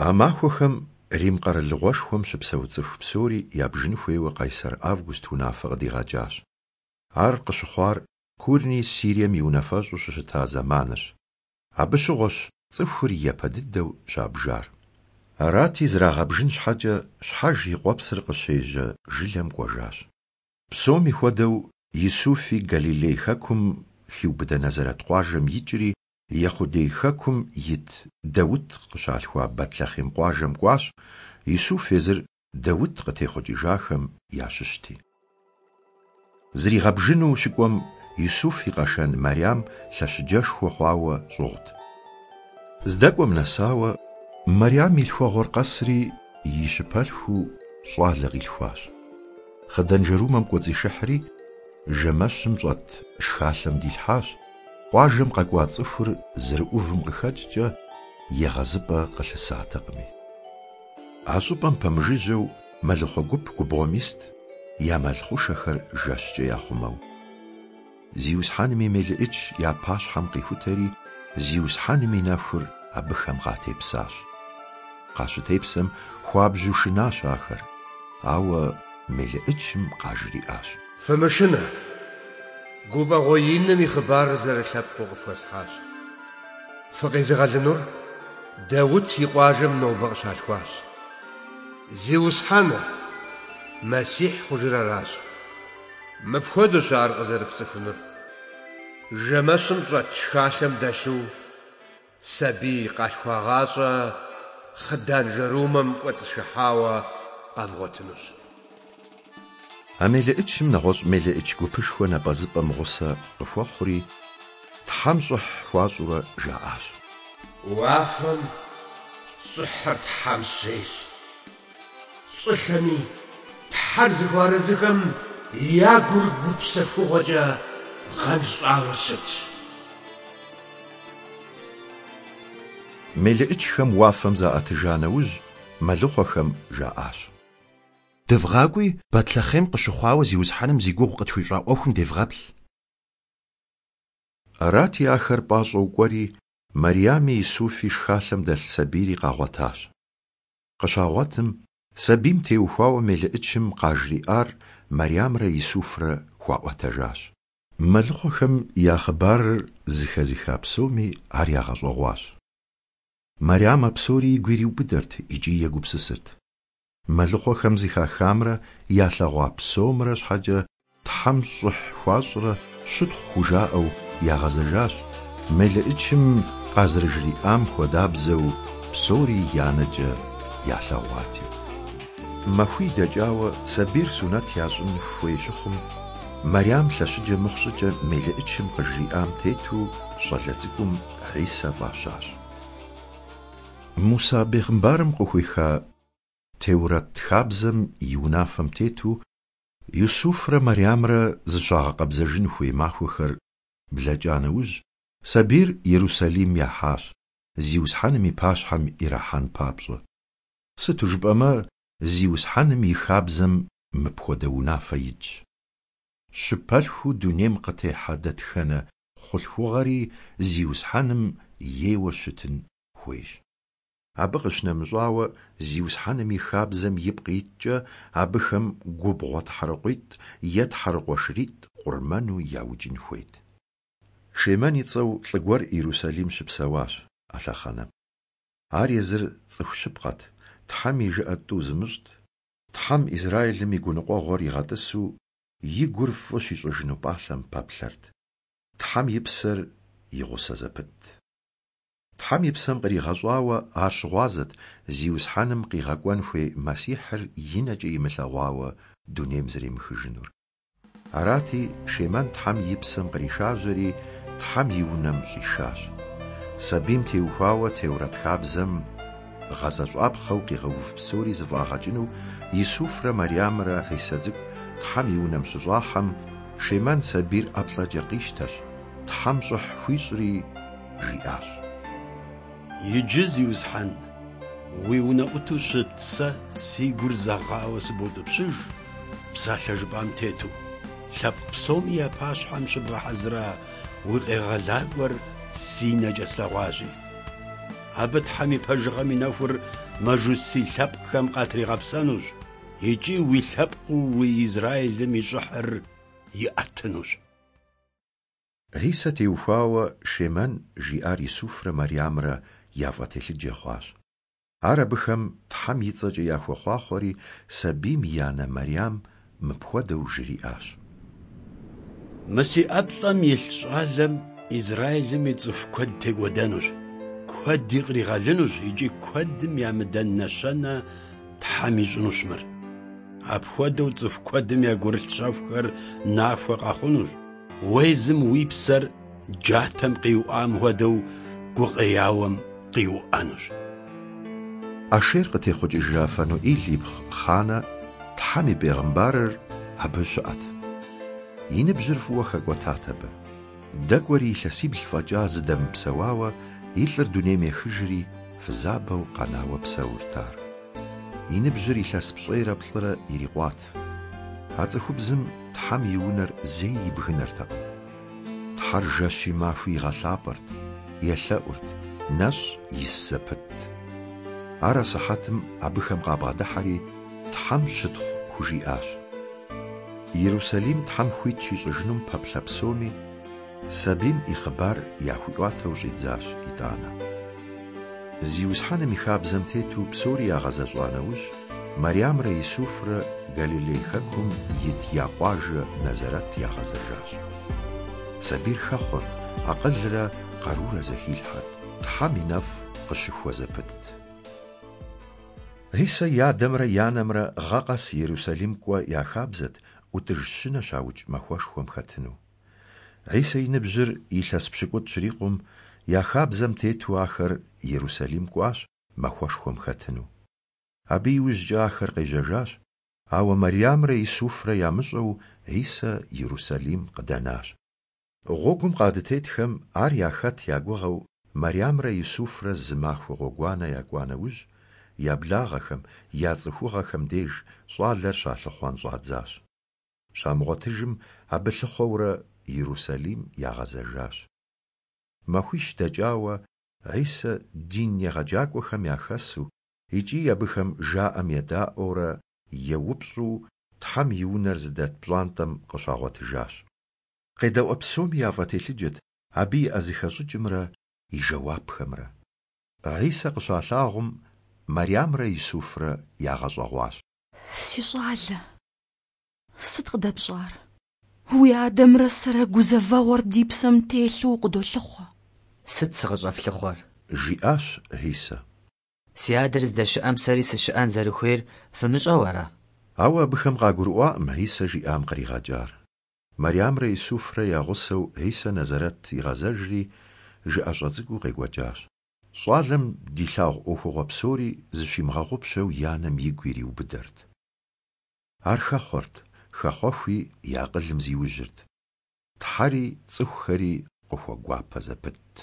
А махуэхэм Рим къэралыгъуэшхуэм щыпсэу цӏыху псори ябжын хуейуэ Къайсэр Август унафэ къыдигъэкӏащ. Ар къыщыхъуар Курний Сирием и унафэщӏу щыщыта зэманырщ. Абы щыгъуэщ цӏыхур япэ дыдэу щабжар. Арати, зрагъэбжын щхьэкӏэ, щхьэж и къуэпсыр къыщежьэ жылэм кӏуэжащ. Псоми хуэдэу, Исуфи Галилей хэкум хиубыдэ Назарэт къуажэм икӏри, Ехъудей хэкум ит Даут къыщалъхуа Бэтлъэхъем къуажэм кӏуащ, Исуф езыр Даут къытехъукӏыжахэм ящыщти. Зригъэбжыну щыкӏуэм, Исуф и къэшэн Мэрям лъэщыджэшхуэ хъуауэ щӏыгъут. Здэкӏуэм нэсауэ, Мэрям и лъхуэгъуэр къэсри, и щыпэлъхуу щӏалэ къилъхуащ. Хъыданжэрумэм кӏуэцӏишыхьри, жэмэщым щӏэт шхалъэм дилъхьащ, къуажэм къэкӏуа цӏыхур зэрыӏувым къыхэкӏкӏэ егъэзыпӏэ къылъысатэкъыми. А щӏыпӏэм пэмыжыжьэу мэлыхъуэ гуп губгъуэм ист, я мэл хъушэхэр жэщкӏэ яхъумэу. Зиусхьэным и мелыӏыч я пащхьэм къихутэри, Зиусхьэным и нэхур абыхэм къатепсащ. Къащытепсэм хуабжьу шынащ ахэр, ауэ мелыӏычым къажриӏащ. Фымышынэ! Гуфӏэгъуэ иным и хъыбарыр зэрылъэпкъыу къыфхуэсхьащ. Фыкъезыгъэлынур Даут и къуажэм нобэ къыщалъхуащ. Зиусхьэныр, Мэссихь хъужыр аращ. Мыпхуэдэущ ар къызэрыфцӏыхунур. Жэмэщым щӏэт шхалъэм дэлъу сабий къалъхуагъащӏэ хъыданжэрумэм кӏуэцӏышыхьауэ къэвгъуэтынущ. А мелыӏычым нэгъуэщӏ мелыӏыч гупышхуэ напӏэзыпӏэм гъусэ къыхуэхъури, Тхьэм щӏыхь хуащӏурэ жаӏащ. Уафэм щӏыхьыр Тхьэм щейщ. Щӏылъэми Тхьэр зыхуэарэзыхэм я гур гупсэхугъуэкӏэ гъэнщӏауэ щытщ. Мелыӏычхэм уафэм заӏэтыжа нэужь, мэлыхъуэхэм жаӏащ. Дывгъакӏуи, Бэтлъэхъем къыщыхъуауэ Зиусхьэным зи гугъу къытхуищӏа ӏуэхум девгъэплъ. Арати, ахэр пӏащӏэу кӏуэри, Мэрями Исуфи шхалъэм дэлъ сабийри къагъуэтащ. Къыщагъуэтым, сабийм теухуауэ мелыӏычым къажриӏар Мэрямрэ Исуфрэ хуаӏуэтэжащ. Мэлыхъуэхэм я хъыбарыр зыхэзыха псоми ар ягъэщӏэгъуащ. Мэрям а псори игу ириубыдэрт икӏи егупсысырт. Мэлыхъуэхэм зыхахамрэ ялъэгъуа псомрэ щхьэкӏэ Тхьэм щӏыхь хуащӏрэ щытхъу хужаӏэу ягъэзэжащ, мелыӏычым къазэрыжриӏам хуэдабзэу псори я нэкӏэ ялъэгъуати. Махуий дэкӏауэ сабийр сунэт ящӏын хуей щыхъум, Мэрям лъэщыджэ мыхъу щӏыкӏэ мелыӏычым къыжриӏам тету щӏалэ цӏыкӏум Хьисэ фӏащащ. Муса бегъымбарым къыхуеха Теурэт хабзэм и унафэм тету, Юсуфрэ Мэрямрэ зыщагъэкъэбзэжын хуей махуэхэр блэкӏа нэужь, сабийр Ерусалим яхьащ, Зиусхьэным и пащхьэм ирахьэн папщӏэ. Сыту жыпӏэмэ, Зиусхьэным и хабзэм мыпхуэдэ унафэ итщ. Щыпэлъхуу дунейм къытехьэ дэтхэнэ хъулъхугъэри Зиусхьэным ейуэ щытын хуейщ. Абы къыщынэмыщӏауэ, Зиусхьэным и хабзэм ипкъ иткӏэ, абыхэм губгъуэ тхьэрыкъуитӏ е тхьэрыкъуэ шыритӏ къурмэну яукӏын хуейт. Шемэн и цӏэу лӏы гуэр Иерусалим щыпсэуащ а лъэхъэнэм. Ар езыр цӏыху щыпкъэт, Тхьэм и жыӏэ тӏу зымыщӏт, Тхьэм Израилым и гуныкъуэгъуэр игъэтӏысу, и гур фӏы щищӏыжыну пӏалъэм пэплъэрт. Тхьэм и псэр и гъусэ зэпытт. Тхьэм и псэм къригъэщӏауэ ар щыгъуазэт Зиусхьэным къигъэкӏуэн хуей Мэссихьыр и нэкӏэ имылъэгъуауэ дунейм зэремыхыжынур. Арати, Шемэн Тхьэм и псэм къришажьэри, Тхьэм и унэм щӏишащ. Сабийм теухуауэ Теурэт хабзэм гъэзэщӏапхъэу къигъэув псори зэфӏагъэкӏыну Исуфрэ Мэрямрэ Хьисэ цӏыкӏу Тхьэм и унэм щыщӏахьэм, Шемэн сабийр ӏэплӏэкӏэ къищтэщ, Тхьэм щӏыхь хуищӏри, жиӏащ. Иджы, Зиусхьэн, уи унэӏуту щыт сэ си гур зэгъауэ сыбоутӏыпщыж, псалъэ жыпӏам тету, лъэпкъ псоми я пащхьэм щыбгъэхьэзыра уи Къегъэлакӏуэр си нэкӏэ слъэгъуащи. Абы Тхьэм и пэжыгъэм и нэхур мажусий лъэпкъхэм къатригъэпсэнущ икӏи уи лъэпкъыу уи Израилым и щӏыхьыр иӏэтынущ. Хьисэ теухуауэ Шемэн жиӏар Исуфрэ Мэрямрэ яфӏэтелъыджэ хъуащ. Ар абыхэм Тхьэм и цӏэкӏэ яхуэхъуахъуэри, сабийм и анэ Мэрям мыпхуэдэу жриӏащ. Мы си ӏэплӏэм илъ щӏалэм Израилым и цӏыху куэд текӏуэдэнущ, куэди къригъэлынущ икӏи куэдым ямыдэн нэщэнэ Тхьэм ищӏынущ мыр. Апхуэдэу цӏыху куэдым я гурылъ щэхухэр нахуэ къэхъунущ. Уэ езым уи псэр джатэм къиуӏам хуэдэу гукъеяуэм къиуӏэнущ. Ашер къытехъукӏыжа Фануил ипхъу Ханнэ, Тхьэм и бегъымбарыр, абы щыӏэт. И ныбжьыр фӏыуэ хэкӏуэтат абы. Дэкӏуэри илъэсибл фӏэкӏа зыдэмыпсэуауэ, и лӏыр дунейм ехыжри, фызабэу къэнауэ псэурт ар. И ныбжьыр илъэс пщӏейрэ плӏырэ ирикъуат. А цӏыхубзым Тхьэм и унэр зэи ибгынэртэкъым. Тхьэр жэщи махуи игъэлъапӏэрт, елъэӏурт, нэщӏ ис зэпытт. Ар асыхьэтым абыхэм къабгъэдыхьэри, Тхьэм щытхъу хужиӏащ. Ерусалим Тхьэм хуит щищӏыжынум пэплъэ псоми, сабийм и хъыбар яхуиӏуатэу щӏидзащ итӏанэ. Зиусхьэным и хабзэм тету псори ягъэзэщӏа нэужь, Мэрямрэ Исуфрэ Галилей хэкум ит я къуажэ Нэзэрэт ягъэзэжащ. Сабийр хэхъуэрт, акъылрэ къарурэ зэхилъхьэрт, Тхьэм и нэфӏ къыщыхуэ зэпытт. Хьисэ и адэмрэ и анэмрэ гъэ къэс Ерусалим кӏуэ я хабзэт ӏутӏыж щынэ щаукӏ махуэшхуэм хэтыну. Хьисэ и ныбжьыр илъэс пщыкӏутӏ щрикъум, я хабзэм тету ахэр Ерусалим кӏуащ махуэшхуэм хэтыну. Абы иужькӏэ ахэр къежьэжащ, ауэ Мэрямрэ Исуфрэ ямыщӏэу Хьисэ Ерусалим къыдэнащ. Гъуэгум къадытетхэм ар яхэт я гугъэу Мэрямрэ Исуфрэ зы махуэ гъуэгуанэ якӏуа нэужь, я благъэхэм, я цӏыхугъэхэм деж щӏалэр щалъыхъуэн щӏадзащ. Щамыгъуэтыжым, абы лъыхъуэурэ Ерусалим ягъэзэжащ. Махуищ дэкӏауэ, Хьисэ дин егъэджакӏуэхэм яхэсу икӏи абыхэм жаӏэм едаӏуэурэ еупщӏу Тхьэм и унэр зыдэт пщӏантӏэм къыщагъуэтыжащ. Къедэӏуэ псоми яфӏэтелъыджэт абы иӏэ зыхэщӏыкӏымрэ и жэуапхэмрэ. Хьисэ къыщалъагъум, Мэрямрэ Исуфрэ ягъэщӏэгъуащ. Си щӏалэ, сыт къыдэпщӏар? Уи адэмрэ сэрэ гузэвэгъуэр ди псэм телъу укъыдолъыхъуэ. Сыт сыкъыщӏэфлъыхъуэр? Жиӏащ Хьисэ. Си адэр здэщыӏэм сэри сыщыӏэн зэрыхуейр фымыщӏэу ара? Ауэ абыхэм къагурыӏуакъым Хьисэ жиӏам къригъэкӏар. Мэрямрэ Исуфрэ я гъусэу Хьисэ Нэзэрэт игъэзэжри, жыӏэщӏэ цӏыкӏуу къекӏуэкӏащ. Щӏалэм дилъагъу ӏуэхугъуэ псори зыщимыгъэгъупщэу и анэм игу ириубыдэрт. Ар хэхъуэрт, хэхъуэхуи и акъылым зиужьырт. Тхьэри цӏыхухэри къыхуэгуапэ зэпытт.